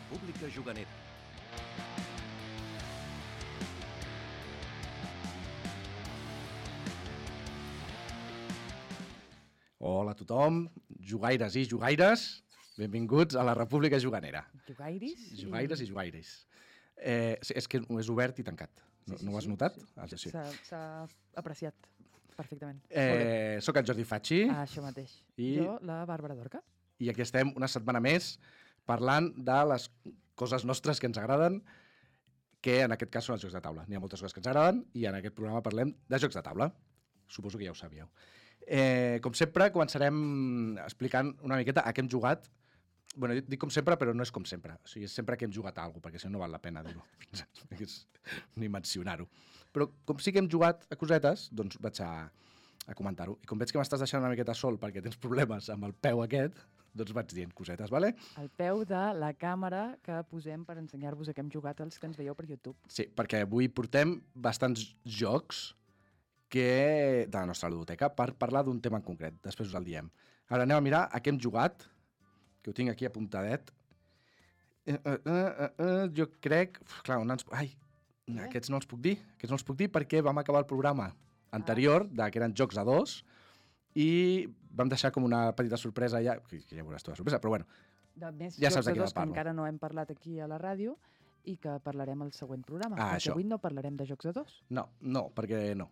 República Juganera. Hola a tothom, jugaires i jugaires, benvinguts a la República Juganera. Jugairis? Jugaires i jugaires. Sí, és que és obert i tancat. No ho has notat? Sí. S'ha apreciat perfectament. Soc el Jordi Facci. Això mateix. Jo, la Bàrbara Dorca. I aquí estem una setmana més parlant de les coses nostres que ens agraden, que en aquest cas són els jocs de taula. N'hi ha moltes coses que ens agraden i en aquest programa parlem de jocs de taula. Suposo que ja ho sabíeu. Com sempre, començarem explicant una miqueta a què hem jugat. Bueno, dic com sempre, però no és com sempre. O sigui, és sempre que hem jugat a alguna cosa, perquè si no val la pena dir-ho. Ni mencionar-ho. Però com sí que hem jugat a cosetes, doncs vaig a comentar-ho. I com veig que m'estàs deixant una miqueta sol perquè tens problemes amb el peu aquest, doncs vaig dient cosetes, vale? El peu de la càmera que posem per ensenyar-vos a què hem jugat els que ens veieu per YouTube. Sí, perquè avui portem bastants jocs de la nostra ludoteca per parlar d'un tema en concret. Després us el diem. Ara anem a mirar a què hem jugat, que ho tinc aquí apuntadet. Jo crec... Clar, aquests no els puc dir. Aquests no els puc dir perquè vam acabar el programa anterior, que eren jocs a dos, i vam deixar com una petita sorpresa ja, que ja veuràs tu la sorpresa, però bueno, més ja saps de jocs què a dos que parlo. encara no hem parlat aquí a la ràdio i que parlarem al següent programa. Perquè avui no parlarem de jocs a dos. No, perquè no.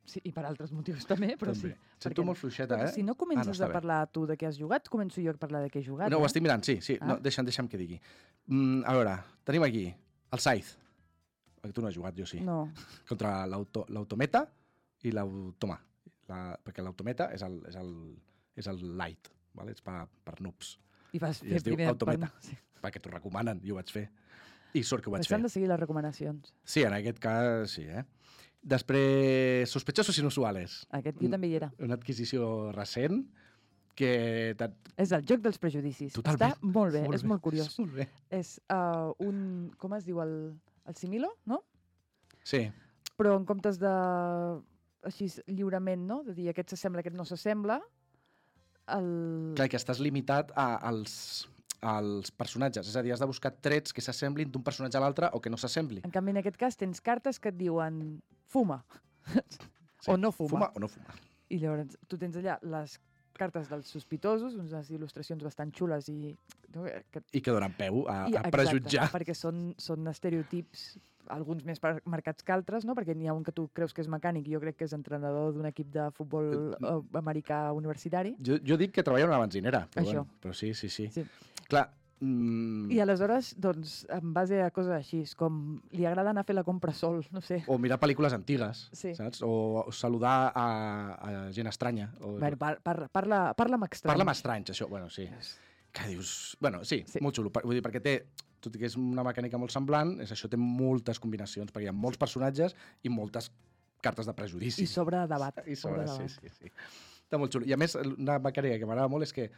Sí, i per altres motius també, però també. sí. Sento molt fluixeta, Si no comences a bé. parlar tu de què has jugat, començo jo a parlar de què he jugat. No, ho estic mirant, sí. No, deixa'm que digui. A veure, tenim aquí el Scythe. Tu no has jugat, jo sí. No. Contra l'Autometa i l'Automa. Perquè l'Autometa és el light, vale? És per noobs. I vas I fer es diu primer... Autometa, perquè t'ho recomanen, i ho vaig fer. I sort que ho vaig fer. S'han de seguir les recomanacions. Sí, en aquest cas sí, Després, Sospechosos Inusuales. Aquest jo també hi era. Una adquisició recent que... És el joc dels prejudicis. Totalment. Està molt bé, és molt curiós. Molt bé. És un... Com es diu? El similo, no? Sí. Però en comptes de... Així lliurement, no? De dir aquest s'assembla, aquest no s'assembla. Clar, que estàs limitat als personatges. És a dir, has de buscar trets que s'assemblin d'un personatge a l'altre o que no s'assembli. En canvi, en aquest cas, tens cartes que et diuen fuma. Sí. O no fuma. Fuma o no fuma. I llavors tu tens allà les cartes dels sospitosos, unes il·lustracions bastant xules i que donen peu a prejutjar. Perquè són estereotips, alguns més marcats que altres, no? Perquè n'hi ha un que tu creus que és mecànic i jo crec que és entrenador d'un equip de futbol americà universitari. Jo dic que treballa en una benzinera, però, això. Bueno, però sí. Sí. Clar, I aleshores, doncs, en base a coses així, com li agrada anar a fer la compra sol, no sé. O mirar pel·lícules antigues, sí. Saps? O saludar a gent estranya. Bueno, parla amb estranys. Parla amb estranys, això, bueno, sí. Que dius... Bueno, sí, molt xulo. Vull dir, perquè té, tot i que és una mecànica molt semblant, això té moltes combinacions, perquè hi ha molts personatges i moltes cartes de prejudici. I sobre debat. Sí. Està molt xulo. I a més, una mecànica que m'agrada molt és que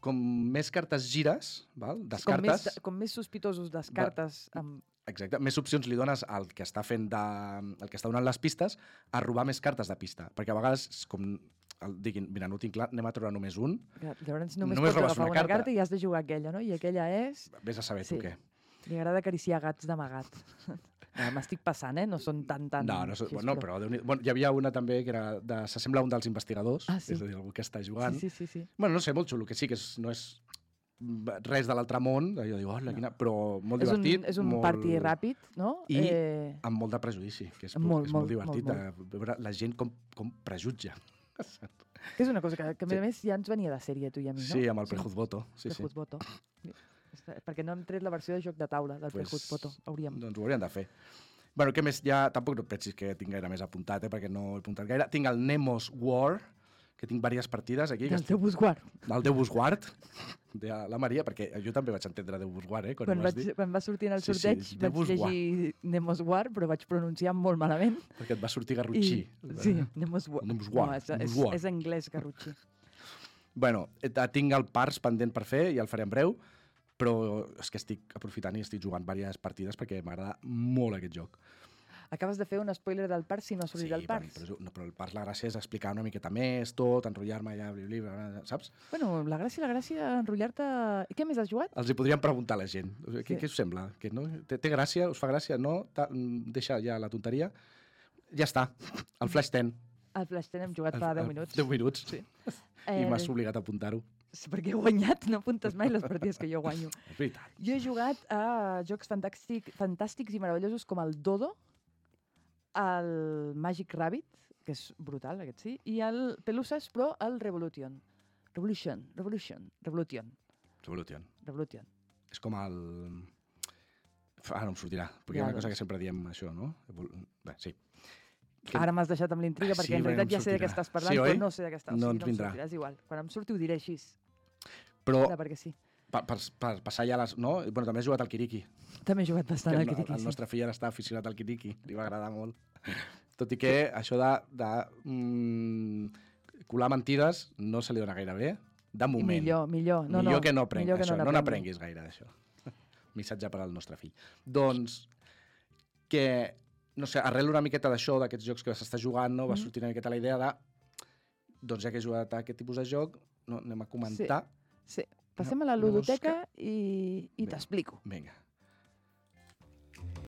com més cartes gires, val? Descartes... Com més sospitosos descartes... Exacte, més opcions li dones al que està el que està donant les pistes a robar més cartes de pista. Perquè a vegades, com diguin, mira, no ho tinc clar, anem a trobar només un. Llavors només pots agafar una carta i has de jugar aquella, no? I aquella és... Vés a saber tu què. Li agrada acariciar gats d'amagat. M'estic passant, No són tan... No, però hi havia una també que era s'assembla a un dels investigadors, sí. És a dir, algú que està jugant. Sí. Bueno, no sé, molt xulo, que sí, que no és res de l'altre món, jo dic, però molt divertit. És un party ràpid, no? I amb molt de prejudici, que és molt divertit. Veure la gent com prejutja. Que és una cosa que a més ja ens venia de sèrie, tu i a mi, no? Sí, amb el Prejuzvoto. Prejuzvoto. Perquè no hem tret la versió de joc de taula del Prejuzvoto. Hauríem. Doncs ho hauríem de fer. Bueno, què més? Ja tampoc no et pensis que tinc gaire més apuntat, perquè no he apuntat gaire. Tinc el Nemos War, que tinc diverses partides aquí. Del teu Busguard. Del Déu Busguard, de la Maria, perquè jo també vaig entendre Déu Busguard, quan va sortir en el sorteig vaig llegir Nemos War, però vaig pronunciar molt malament. Perquè et va sortir Garrotxí. Sí, Nemos War. No, és anglès, Garrotxí. Bueno, tinc el Pars pendent per fer i el faré en breu, però és que estic aprofitant i estic jugant diverses partides perquè m'agrada molt aquest joc. Acabes de fer un spoiler del parc si no has sortit del parc. Però el parc la gràcia és explicar una miqueta més, tot, enrotllar-me allà, saps? Bueno, la gràcia enrotllar-te... I què més has jugat? Els hi podríem preguntar a la gent. Què us sembla? Que no? Té gràcia? Us fa gràcia? No? Deixa ja la tonteria. Ja està. El Flash 10. Al Flash 10 hem jugat fa 10 minuts. 10 minuts, sí. I m'has obligat a apuntar-ho. Sí, perquè he guanyat, no apuntes mai les partides que jo guanyo. És veritat. Jo he jugat a jocs fantàstics i meravellosos com el Dodo, el Magic Rabbit, que és brutal, aquest sí, i el Pelusas, però el Revolution. Revolution. És com el... Ara no em sortirà, perquè hi ha una cosa que sempre diem això, no? Bé, sí. Ara m'has deixat amb l'intriga, perquè en realitat ja sé de què estàs parlant, però no sé de què estàs. No ens vindrà. És igual, quan em surti ho diré així. Però perquè sí. Per passar ja les... No? Bueno, també has jugat al Kiriki. També he jugat bastant al Kiriki, El nostre fill ara està aficionat al Kiriki, li va agradar molt. Tot i que això de colar mentides no se li dona gaire bé, de moment. Millor. Millor que no aprenguis això, no n'aprenguis gaire d'això. Missatge per al nostre fill. Doncs que, no sé, arrel una miqueta d'això, d'aquests jocs que s'està jugant, no? Va sortir una miqueta la idea de, doncs ja que he jugat a aquest tipus de joc, no, anem a comentar. Sí. Passem a la ludoteca i t'explico. Vinga.